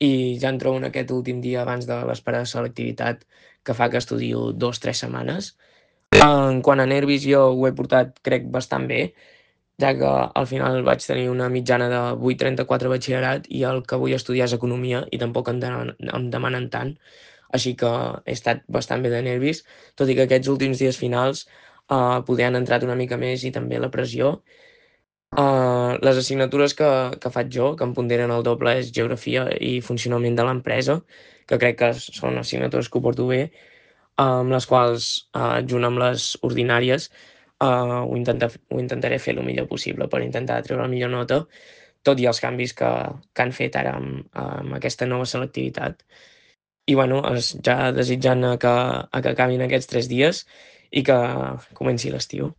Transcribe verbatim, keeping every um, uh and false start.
i ja em trobo en aquest últim dia abans de l'espera de selectivitat, que fa que estudio dos tres setmanes. En quant a nervis, jo ho he portat, crec, bastant bé, ja que al final vaig tenir una mitjana de vuit coma trenta-quatre a batxillerat i el que vull estudiar és economia i tampoc em demanen, em demanen tant, així que he estat bastant bé de nervis, tot i que aquests últims dies finals eh, poder han entrat una mica més i també la pressió. Uh, les assignatures que, que faig jo, que em ponderen el doble, és geografia i funcionament de l'empresa, que crec que són assignatures que ho porto bé, amb les quals, uh, junt amb les ordinàries, uh, ho, intenta, ho intentaré fer el millor possible per intentar treure la millor nota, tot i els canvis que, que han fet ara amb, amb aquesta nova selectivitat. I bueno, es, ja desitjant a que, a que acabin aquests tres dies i que comenci l'estiu.